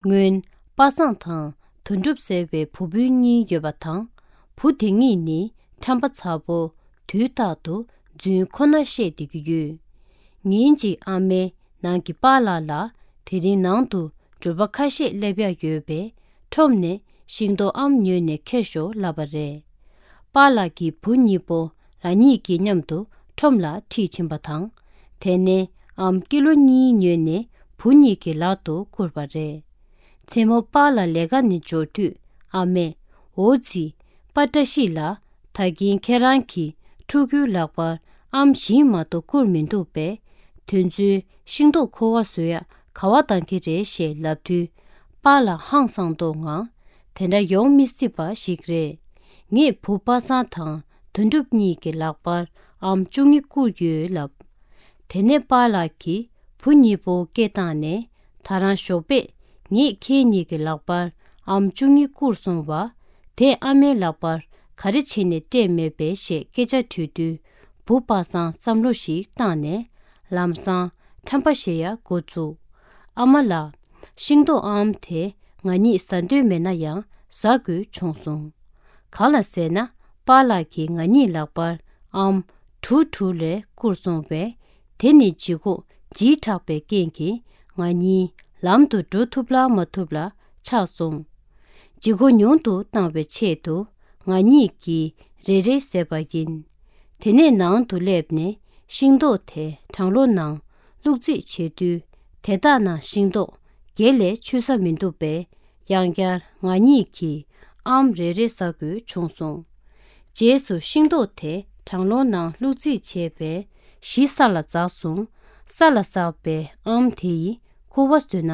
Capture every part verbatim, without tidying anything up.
སྔོན་པ་སངས་དང་དོན་གྲུབ་ཟེར་བའི་བུ་སྤུན་གཉིས་ཡོད་པ་དང་། བུ་དེ་གཉིས་ནི་ཁྲམ་པ་ཚ་པོ་དུས་རྟག་ཏུ་རྫུན་ཁོ་ན་བཤད་བསྡད་ཀྱི་ཡོད། ཉིན་གཅིག་ཨ་མས་ནང་གི་པཱ་ལགས་ལ་དེ་རིང་ནང་དུ་འགྲུལ་པ་ཁ་ཤས་སླེབས་ཡག་ཡོད་པས་ཁྲོམ་ནས་ཤིང་ཏོག་ཨམ་ཉོས་ནས་འཁྱེར་ཤོག་ལབ་པ་རེད། པཱ་ལགས་ཀྱི་བུ་གཉིས་པོ་རང་ཉིད་ཀྱིས་མཉམ་དུ་ཁྲོམ་ལ་ཁྲིད་ཕྱིན་པ་དང་། དེ་ནས་ཨམ་ཀི་ལོ་གཉིས་ཉོས་ནས་བུ་གཉིས་ཀྱི་ལག་ཏུ་བསྐུར་བ་རེད། མཚན་མོ་པཱ་ལགས་ལས་ཀ་ནས་འབྱོར་དུས་ཨ་མས། འོ་ཙི། པཱ་བཀྲ་ཤིས་ལགས། ད་གིན་ཁྱེད་རང་གི་ཕྲུ་གུའི་ལག་པར་ཨམ་བཞི་མ་གཏོགས་བསྐུར་མི་འདུག་པས། དེ་ཚོའི་ཤིང་ཏོག་ཁུ་བ་བཟོ་ཡག་ག་བ་བཏང་གི་རེད་ཞེས་ལབ་དུས། པཱ་ལགས་ཧང་སངས་མདོག་ངང་། དེ་འདྲ་ཡོང་མི་སྲིད་པ་ཞིག་རེད། ངས་བུ་པ་སངས་དང་དོན་གྲུབ་གཉིས་ཀྱི་ལག་པར་ཨམ་བཅུ་གཉིས་བསྐུར་ཡོད་ལབ། དེ་ནས་པཱ་ལགས་ཀྱིས་བུ་གཉིས་པོ་སྐད་བཏང་ནས། ད་རང་ཞོགས་པས་ངས་ཁྱེད་གཉིས་ཀྱི་ལག་པར་ཨམ་བཅུ་གཉིས་བསྐུར་སོང་བ། དེ་ཨ་མའི་ལག་པར་ག་རེ་བྱས་ནས་སྤྲད་མེད་པས་ཞེས་སྐད་ཆ་དྲིས་དུས། བུ་པ་སངས་བསམ་བློ་ཞིག་བཏང་ནས། ལམ་སང་ཁྲམ་པ་བཤད་ཡག་འགོ་བཙུགས། ཨ་མ་ལགས། ཤིང་ཏོག་ཨམ་དེ་ང་གཉིས་ཟ་འདོད་མེད་ན་ཡང་ཟ་དགོས་བྱུང་སོང་། གང་ལ་ཟེར་ན། པཱ་ལགས་ཀྱིས་ང་གཉིས་ལག་པར་ཨམ་དྲུག་དྲུག་ལས་བསྐུར་སོང་བས། དེ་ནི་ལྗིད་ཁོག་ལྗིད་དྲགས་པའི་རྐྱེན་གྱིས་ང་གཉིས་ལམ་དུ་འགྲོ་ཐུབ་ལ་མ་ཐུབ་ལ་ཆགས་སོང་། ལྗིད་ཁོག་ཉུང་དུ་བཏང་བའི་ཆེད་དུ་ང་གཉིས་ཀྱིས་རེ་རེ་བཟས་པ་ཡིན། དེ་ནས་ནང་དུ་སླེབས་ནས་ཤིང་ཏོག་དེ་གྲང་གློག་ནང་བླུགས་རྩིས་བྱེད་དུས། དེ་དག་ནང་ཤིང་ཏོག་བརྒྱད་ལས་ཆུད་ས་མི་འདུག་པས། ཡང་བསྐྱར་ང་གཉིས་ཀྱིས་ཨམ་རེ་རེ་ཟ་དགོས་བྱུང་སོང་། རྗེས་སུ་ཤིང་ཏོག་དེ་གྲང་གློག་ནང་བླུགས་རྩིས་བྱས་པས་གཞི་ས་ལ་འཛག་སོང་། ས་ལ་ཟགས་པའི་ཨམ་དེ་ཡིས་ཁུ་བ་བཟོས་ན་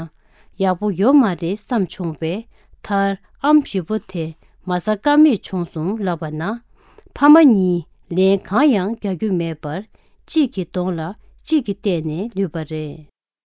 ཡག་པོ་ཡོད་མ་རེད་བསམ་བྱུང་བས། མཐར་ཨམ་བཞི་པོ་དེ་མ་ཟ་ཀ་མེད་བྱུང་སོང་ལབ་པ་ན། ཕ་མ་གཉིས་ལན་གང་ཡང་རྒྱག་རྒྱུ་མེད་པར། གཅིག་གི་གདོང་ལ་གཅིག་གིས་བལྟས་ནས་ལུས་པ་རེད།